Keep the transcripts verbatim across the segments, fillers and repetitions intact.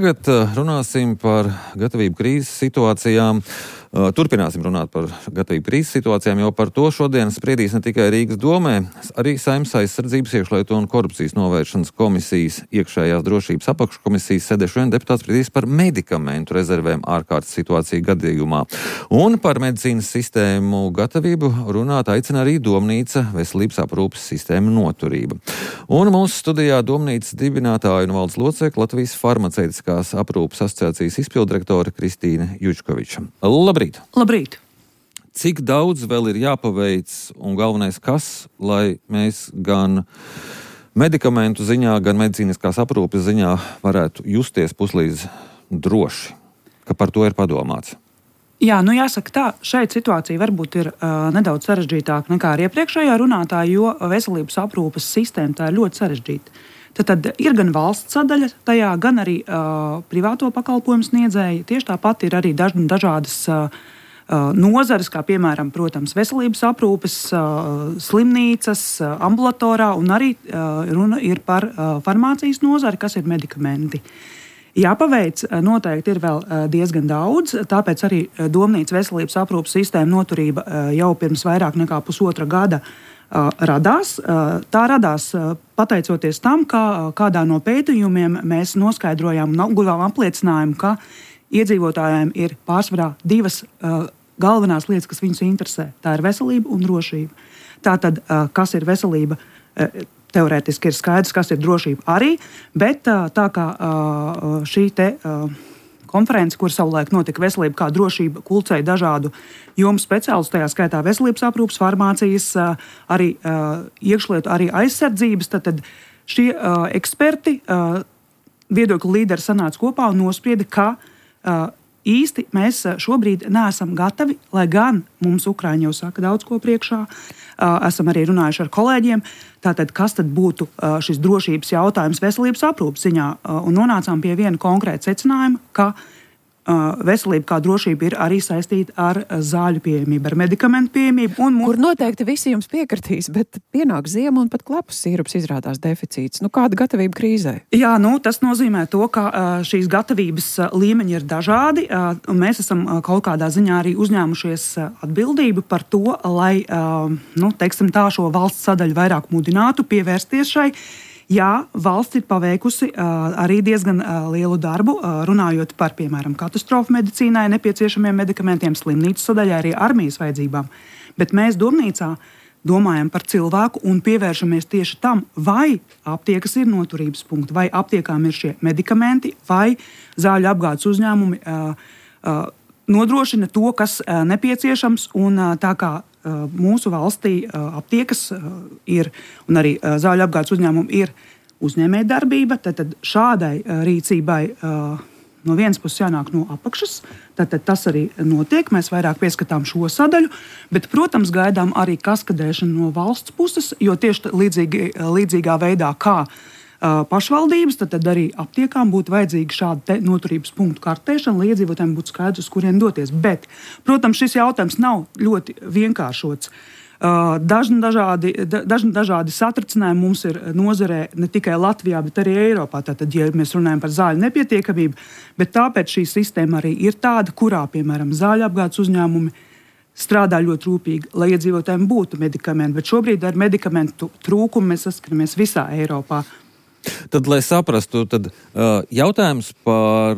Tagad runāsim par gatavību krīzes situācijām. Turpināsim runāt par gatavību krīzes situācijām, jo par to šodien spriedīs ne tikai Rīgas domē, arī Saeimas aizsardzības, iekšlietu un korupcijas novēršanas komisijas, iekšējās drošības apakškomisijas sēdē šodien deputāts spriedīs par medikamentu rezervēm ārkārtas situāciju gadījumā. Un par medicīnas sistēmu gatavību runāt aicina arī Domnīca veselības aprūpes sistēma noturība. Un mūsu studijā Domnīcas dibinātāja un valdes locekle Latvijas farmaceitiskās aprūpes asociācijas izpilddirektore Kristīne Jučkoviča. Labrīt! Labrīt! Cik daudz vēl ir jāpaveic un galvenais kas, lai mēs gan medikamentu ziņā, gan medicīniskās aprūpes ziņā varētu justies puslīdz droši, ka par to ir padomāts? Jā, nu jāsaka tā, šeit situācija varbūt ir uh, nedaudz sarežģītāka nekā ar iepriekšējā runātāja, jo veselības aprūpes sistēma tā ir ļoti sarežģīta. Tad, tad ir gan valsts sadaļa tajā, gan arī uh, privāto pakalpojumu sniedzēji. Tieši tāpat ir arī daž, dažādas uh, nozares, kā piemēram, protams, veselības aprūpes, uh, slimnīcas, uh, ambulatorā, un arī uh, runa ir par uh, farmācijas nozari, kas ir medikamenti. Jāpaveic noteikti ir vēl diezgan daudz, tāpēc arī Domnīcas veselības aprūpes sistēma noturība jau pirms vairāk nekā pusotra gada radās. Tā radās pateicoties tam, ka kādā no pētījumiem mēs noskaidrojām un guvām apliecinājumu, ka iedzīvotājiem ir pārsvarā divas galvenās lietas, kas viņus interesē. Tā ir veselība un drošība. Tātad, kas ir veselība? Teorētiski ir skaidrs, kas ir drošība arī, bet tā kā šī te konference, kur savulaik notika veselība kā drošība, kulcēja dažādu jomu speciālistus, tajā skaitā veselības aprūpes, farmācijas, arī iekšlietu, arī aizsardzības, tad, tad šie eksperti, viedokļu līderi sanāca kopā un nosprieda, ka īsti mēs šobrīd neesam gatavi, lai gan mums Ukraiņi jau saka daudz ko priekšā, esam arī runājuši ar kolēģiem, tātad kas tad būtu šis drošības jautājums veselības aprūpes ziņā, un nonācām pie viena konkrēta secinājuma, ka veselība kā drošība ir arī saistīta ar zāļu pieejamību, ar medikamentu pieejamību. Un Kur noteikti visi jums piekritīs, bet pienāk ziema un pat klepus sīrups izrādās deficīts. Nu, kāda gatavība krīzē? Jā, nu, tas nozīmē to, ka šīs gatavības līmeņi ir dažādi, un mēs esam kaut kādā ziņā arī uzņēmušies atbildību par to, lai, nu, teiksim tā, šo valsts sadaļu vairāk mudinātu pievērsties šai. Jā, valsts ir paveikusi uh, arī diezgan uh, lielu darbu, uh, runājot par, piemēram, katastrofu medicīnai nepieciešamiem medikamentiem, slimnīcu sadaļā, arī armijas vajadzībām. Bet mēs Domnīcā domājam par cilvēku un pievēršamies tieši tam, vai aptiekas ir noturības punkti, vai aptiekām ir šie medikamenti, vai zāļu apgādes uzņēmumi uh, uh, nodrošina to, kas uh, nepieciešams, un uh, tā kā mūsu valstī aptiekas ir, un arī zāļu apgādes uzņēmumi ir uzņēmējdarbība, tad, tad šādai rīcībai no vienas puses jānāk no apakšas, tad, tad tas arī notiek, mēs vairāk pieskatām šo sadaļu, bet, protams, gaidām arī kaskadēšanu no valsts puses, jo tieši līdzīgi, līdzīgā veidā kā pašvaldības, tad, tad arī aptiekām būtu vajadzīga šāda noturības punktu kartēšana, lai iedzīvotājiem būtu skaidrs, uz kurien doties. Bet, protams, šis jautājums nav ļoti vienkāršots. Dažni dažādi, dažni dažādi satricinājumi mums ir nozarē ne tikai Latvijā, bet arī Eiropā. Tātad, ja mēs runājam par zāļu nepietiekamību, bet tāpēc šī sistēma arī ir tāda, kurā, piemēram, zāļu apgādes uzņēmumi strādā ļoti rūpīgi, lai iedzīvotājiem būtu medikamenti. Bet šobrīd ar medikamentu trūkumu mēs saskaramies visā Eiropā. Tad, lai saprastu, tad uh, jautājums par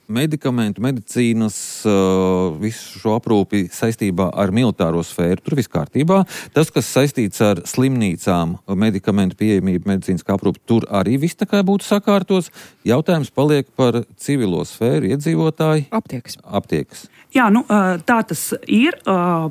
medikamentu, medicīnas, uh, visu šo aprūpi saistībā ar militāro sfēru, tur viss kārtībā. Tas, kas saistīts ar slimnīcām, medikamentu pieejamību, medicīniskā aprūpi, tur arī viss tā kā būtu sakārtos. Jautājums paliek par civilo sfēru, iedzīvotāji. Aptiekas. Aptiekas. Jā, nu, tā tas ir.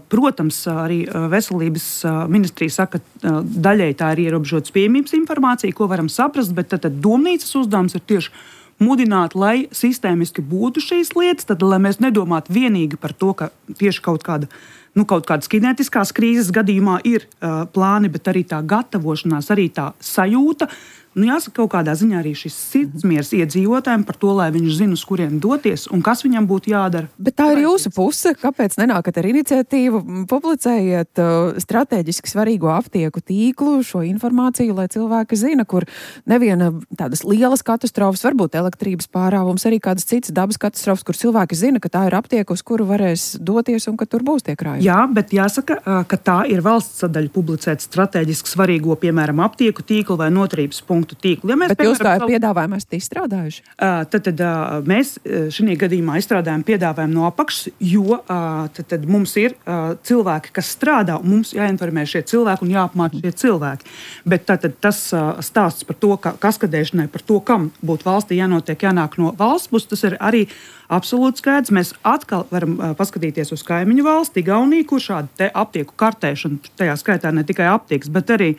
Protams, arī veselības ministrija saka, ka daļēji tā ir ierobežotas pieejamības informācija, ko varam saprast, bet tad, tad Domnīcas uzdevums ir tieši mudināt, lai sistēmiski būtu šīs lietas, tad lai mēs nedomātu vienīgi par to, ka tieši kaut kāda, nu, kaut kādas kinētiskās krīzes gadījumā ir uh, plāni, bet arī tā gatavošanās, arī tā sajūta, nu, jāsaka, kaut kādā ziņā arī šis sirdsmiers iedzīvotājiem par to, lai viņš zina, uz kurien doties un kas viņam būtu jādara. Bet tā ir jūsu puse. Kāpēc nenākat ar iniciatīvu? Publicējiet uh, strateģiski svarīgo aptieku tīklu, šo informāciju, lai cilvēki zina, kur neviena tādas lielas katastrofas, varbūt elektrības pārāvums, arī kādas citas dabas katastrofas, kur cilvēki zina, ka tā ir aptieka, uz kuru varēs doties un ka tur būs tie krājumi. Jā, bet jāsaka, ka tā ir valsts sadaļa publicēt strateģiski svarīgo, piemēram, aptieku tīklu vai noturības punktu tīklu. Ja mēs, bet jūs tā piedāvājumu esat izstrādājuši? Uh, tad, tad uh, mēs šajā gadījumā izstrādājam piedāvājumu no apakšas, jo uh, tad, tad mums ir uh, cilvēki, kas strādā, un mums jāinformē šie cilvēki un jāapmāca šie cilvēki. Bet tad, tad tas uh, stāsts par to, ka kaskadēšanai, par to, kam būtu valstī jānotiek, jānāk no valsts puses, tas ir arī absolūti skaidrs. Mēs atkal varam uh, paskatīties uz kaimiņu valsti, Igauniju, kur šāda te aptieku kartēšana, tajā skaitā ne tikai aptiekas, bet arī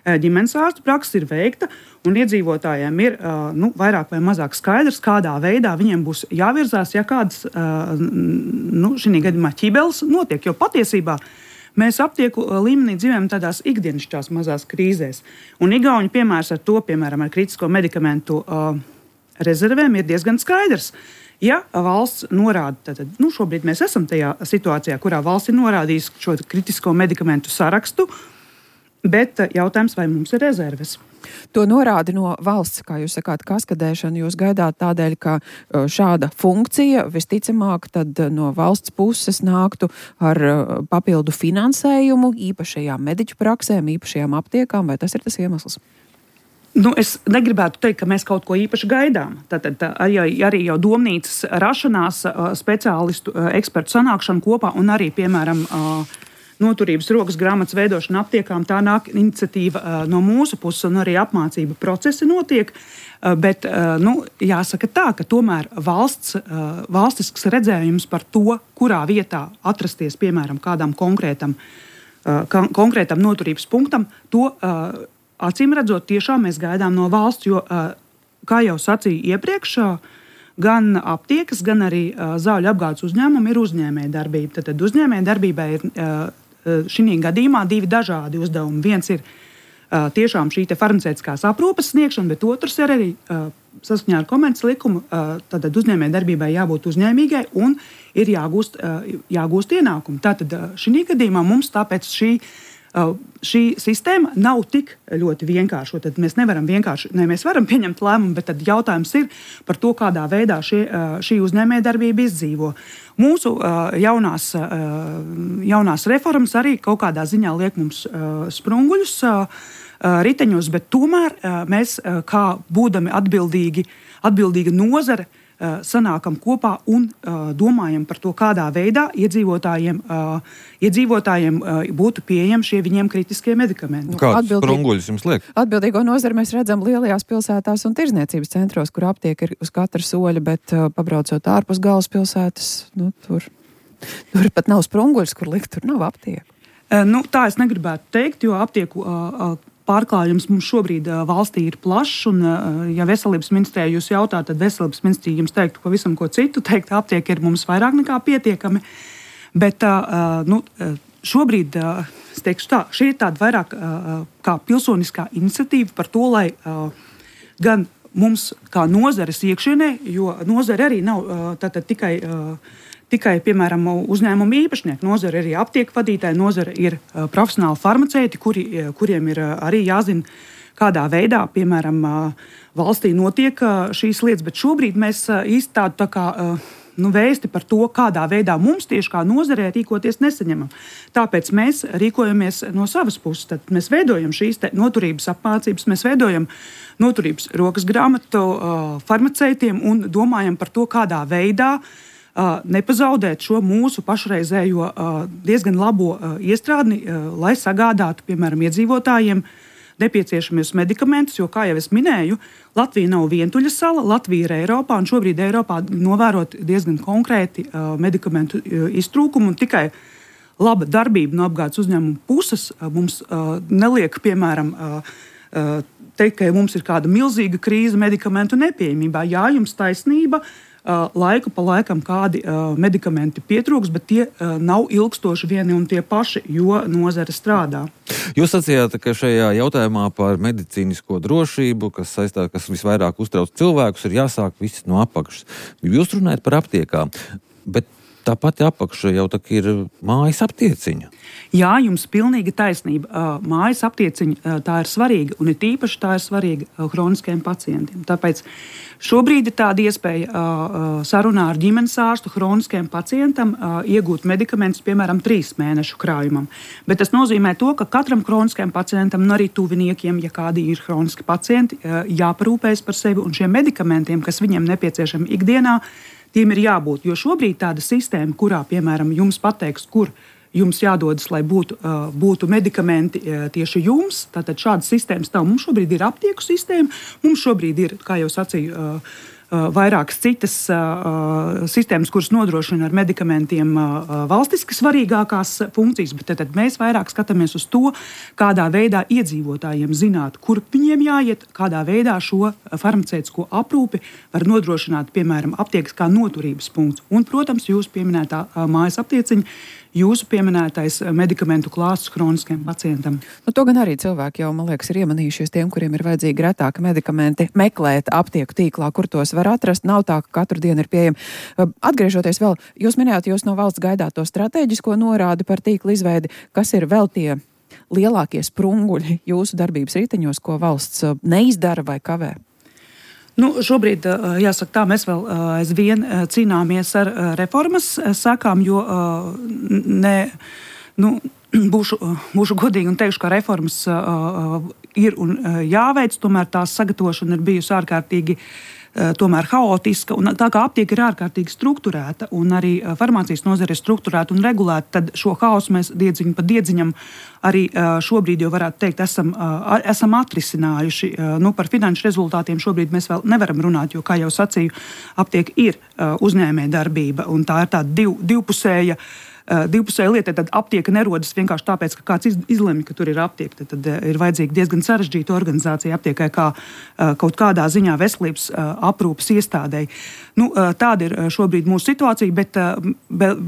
ģimenes ārstu praksa ir veikta, un iedzīvotājiem ir nu, vairāk vai mazāk skaidrs, kādā veidā viņiem būs jāvirzās, ja kādas nu, šī gadījumā ķibeles notiek. Jo patiesībā mēs aptieku līmenī dzīvojam tādās ikdienišķās mazās krīzēs. Un Igauņu piemērs ar to, piemēram, ar kritisko medikamentu rezervēm ir diezgan skaidrs. Ja valsts norāda, tad nu, šobrīd mēs esam tajā situācijā, kurā valsts ir norādījusi šo kritisko medikamentu sarakstu, bet jautājums, vai mums ir rezerves? To norāda no valsts, kā jūs sakāt, kaskadēšana. Jūs gaidāt tādēļ, ka šāda funkcija visticamāk tad no valsts puses nāktu ar papildu finansējumu īpašajām mediķu praksēm, īpašajām aptiekām, vai tas ir tas iemesls? Nu, es negribētu teikt, ka mēs kaut ko īpaši gaidām. Tātad arī, arī jau domnīcas rašanās, speciālistu, ekspertu sanākšana kopā un arī, piemēram, noturības rokas grāmatas veidošana aptiekām, tā nāk iniciatīva uh, no mūsu puses, un arī apmācība procesi notiek. Uh, bet uh, nu, jāsaka tā, ka tomēr valsts, uh, valstisks redzējums par to, kurā vietā atrasties, piemēram, kādam konkrētam, uh, konkrētam noturības punktam, to uh, acīm redzot tiešām mēs gaidām no valsts, jo, uh, kā jau sacīju iepriekš, uh, gan aptiekas, gan arī uh, zāļu apgādes uzņēmumi ir uzņēmēja darbība. Tad uzņēmēja darbībai ir uh, šī gadījumā divi dažādi uzdevumi. Viens ir uh, tiešām šī farmaceitiskās aprūpes sniegšana, bet otrs ir arī uh, saskaņā ar komerces likumu. Uh, tad uzņēmēja darbībai jābūt uzņēmīgai un ir jāgūst, uh, jāgūst ienākumi. Tātad uh, šī gadījumā mums tāpēc šī Uh, šī sistēma nav tik ļoti vienkārša. Tad mēs nevaram vienkārši, ne, mēs varam pieņemt lēmumu, bet tad jautājums ir par to, kādā veidā šie, uh, šī uzņēmējdarbība izdzīvo. Mūsu uh, jaunās, uh, jaunās reformas arī kaut kādā ziņā liek mums uh, sprunguļus uh, uh, riteņos, bet tomēr uh, mēs, uh, kā būdami atbildīgi, atbildīga nozare, sanākam kopā un uh, domājam par to, kādā veidā iedzīvotājiem, uh, iedzīvotājiem uh, būtu pieejami šie viņiem kritiskie medikamenti. Kāds sprunguļus jums liek? Atbildīgo nozari mēs redzam lielajās pilsētās un tirzniecības centros, kur aptieka ir uz katra soļa, bet uh, pabraucot ārpus galvaspilsētas, nu, tur, tur pat nav sprunguļus, kur likt, tur nav aptieka. Uh, nu, tā es negribētu teikt, jo aptieku uh, uh, pārklājums mums šobrīd uh, valstī ir plašs, un, uh, ja veselības ministrija jūs jautā, tad veselības ministrija jums teiktu pavisam ko citu, teikt, aptieka ir mums vairāk nekā pietiekami. Bet uh, nu, šobrīd, uh, es teikšu tā, šī ir tāda vairāk uh, kā pilsoniskā iniciatīva par to, lai uh, gan mums kā nozares iekšienē, jo nozare arī nav uh, tātad tikai uh, Tikai, piemēram, uzņēmuma īpašnieki, nozare ir arī aptieku vadītāji, nozare ir uh, profesionāli farmaceiti, kuri, kuriem ir uh, arī jāzina, kādā veidā, piemēram, uh, valstī notiek uh, šīs lietas. Bet šobrīd mēs uh, īsti tādu tā kā, uh, nu, vēsti par to, kādā veidā mums tieši kā nozarē rīkoties nesaņemam. Tāpēc mēs rīkojamies no savas puses. Tad mēs veidojam šīs noturības apmācības, mēs veidojam noturības rokas grāmatu uh, farmaceitiem un domājam par to, kādā veidā Uh, nepazaudēt šo mūsu pašreizējo uh, diezgan labo uh, iestrādni, uh, lai sagādātu, piemēram, iedzīvotājiem nepieciešamies medikamentus, jo, kā jau es minēju, Latvija nav vientuļa sala, Latvija ir Eiropā, un šobrīd Eiropā novērot diezgan konkrēti uh, medikamentu uh, iztrūkumu, un tikai laba darbība no apgādes uzņēmuma puses uh, mums uh, neliek, piemēram, uh, uh, teikt, ka mums ir kāda milzīga krīze medikamentu nepieejamībā. Jā, jums taisnība. Laiku pa laikam kādi uh, medikamenti pietrūks, bet tie uh, nav ilgstoši vieni un tie paši, jo nozare strādā. Jūs sacījāt, ka šajā jautājumā par medicīnisko drošību, kas saistā, kas visvairāk uztrauc cilvēkus, ir jāsāk viss no apakšas. Jūs runājat par aptiekām, bet tā pati apakša jau tā ir mājas aptieciņa. Jā, jums pilnīgi taisnība. Mājas aptieciņa tā ir svarīga, un it īpaši tā ir svarīga hroniskajiem pacientiem. Tāpēc šobrīd ir tāda iespēja sarunā ar ģimenes ārstu hroniskajam pacientam iegūt medikamentus, piemēram, trīs mēnešu krājumam. Bet tas nozīmē to, ka katram hroniskajam pacientam un arī tuviniekiem, ja kādi ir hroniski pacienti, jāparūpējas par sevi un šiem medikamentiem, kas viņiem nepieciešami ikdienā, tiem ir jābūt. Jo šobrīd tāda sistēma, kurā, piemēram, jums pateiks, kur jums jādodas, lai būtu, uh, būtu medikamenti uh, tieši jums, tātad šādas sistēmas nav. Mums šobrīd ir aptieku sistēma, mums šobrīd ir, kā jau sacīju, uh, uh, vairākas citas uh, sistēmas, kuras nodrošina ar medikamentiem uh, valstiski svarīgākās funkcijas, bet tad mēs vairāk skatāmies uz to, kādā veidā iedzīvotājiem zināt, kur viņiem jāiet, kādā veidā šo farmaceitisko aprūpi var nodrošināt, piemēram, aptiekas kā noturības punkts. Un, protams, jūs pieminētā uh, mājas aptieciņa, jūsu pieminētais medikamentu klāsts hroniskajam pacientam. Nu, to gan arī cilvēki jau, man liekas, ir iemanījušies tiem, kuriem ir vajadzīgi retāki medikamenti, meklēt aptieku tīklā, kur tos var atrast. Nav tā, ka katru dienu ir pieejami. Atgriežoties vēl, jūs minējāt, jūs no valsts gaidāt to stratēģisko norādi par tīklu izveidi. Kas ir vēl tie lielākie sprunguļi jūsu darbības riteņos, ko valsts neizdara vai kavē? Nu, šobrīd, jāsaka tā, mēs vēl aizvien cīnāmies ar reformas sakām, jo ne, nu, būšu, būšu godīgi un teikšu, ka reformas ir un jāveic, tomēr tās sagatavošana ir bijusi ārkārtīgi tomēr haotiska, un tā kā aptieka ir ārkārtīgi strukturēta un arī farmācijas nozare ir strukturēta un regulēta, tad šo haosu mēs diedziņu pa diedziņam arī šobrīd jau varētu teikt, esam, esam atrisinājuši. Nu, par finanšu rezultātiem šobrīd mēs vēl nevaram runāt, jo, kā jau sacīju, aptieka ir uzņēmēja darbība, un tā ir tāda div, divpusēja Divpusēja lieta, tad aptieka nerodas vienkārši tāpēc, ka kāds izlemj, ka tur ir aptieka. Tad, tad ir vajadzīga diezgan sarežģīta organizācija aptiekai kā kaut kādā ziņā veselības aprūpes iestādēji. Nu, tāda ir šobrīd mūsu situācija, bet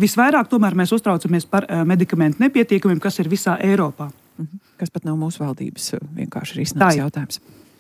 visvairāk tomēr mēs uztraucamies par medikamentu nepietiekamiem, kas ir visā Eiropā. Kas pat nav mūsu valdības vienkārši risināts jautājums.